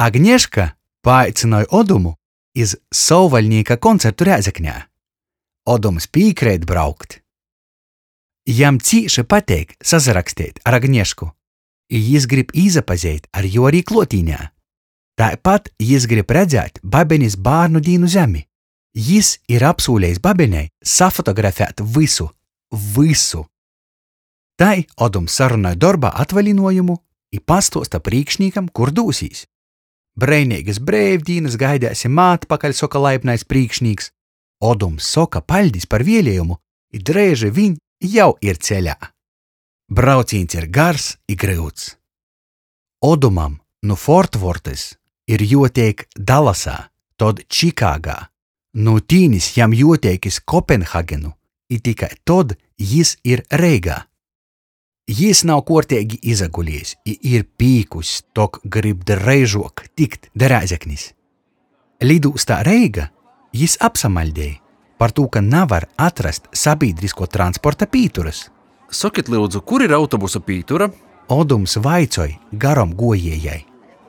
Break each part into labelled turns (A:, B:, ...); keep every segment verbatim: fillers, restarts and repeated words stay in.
A: Agneška paaicynoj Odumu iz Sovvaļnīka koncertu Rēzeknē. Odums pīkreit braukt. Jam cīši pateik sasaraksteit ar Agnešku, i jis grib īsapazeit ar jū ari kluotīnē. Taipat jis grib redzēt babenis bārnu dīnu zemi. Jis ir apsūlejs babenei safotografēt vysu, vysu. Tai Odums sarunoj dorbā atvalinuojumu i pastuosta prīšknīkam, kur dūsīs. Breineigys breivdīnys gaideisim atpakaļ, soka laipnais prīšknīks. Odums soka paļdis par vieliejumu i dreiži viņ jau ir ceļā. Braucīņs ir gars i gryuts. Odumam nu Fortvortys ir juoteik Dallasā, tod Čikāgā. Nu tīnis jam juoteik iz Kopenhagenu, i tikai tod jis ir Reigā. Jis nav kuorteigi izaguliejs i ir pīkuss, tok grib dreižuok tikt da Rēzeknis. Lidūstā Reiga jis apsamaļdej, partū ka navar atrast sabīdriskuo transporta pīturys.
B: Sokit, lyudzu, kur ir autobusa pītura?
A: Odums vaicoj garom guojiejai.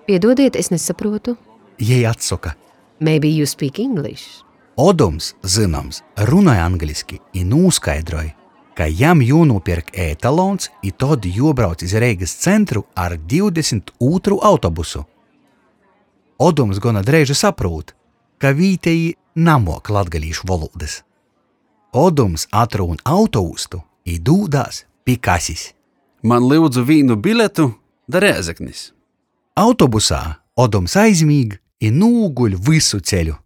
C: Piedodiet, es nesaprotu.
A: Jei atsoka.
C: Maybe you speak English.
A: Odums, zynoms, runoj angliski i nūskaidroj, ka jam juonūpierk e-talons i tod juobrauc iz Reigys centru ar divdesmit ūtrū autobusu. Odums gona dreiži saprūt, ka vītejī namuok latgalīšu volūdys. Odums atrūn autoūstu i dūdās pi kasis.
B: Man lyudzu vīnu biletu da Rēzeknis.
A: Autobusā Odums aizmīg i nūguļ vysu ceļu.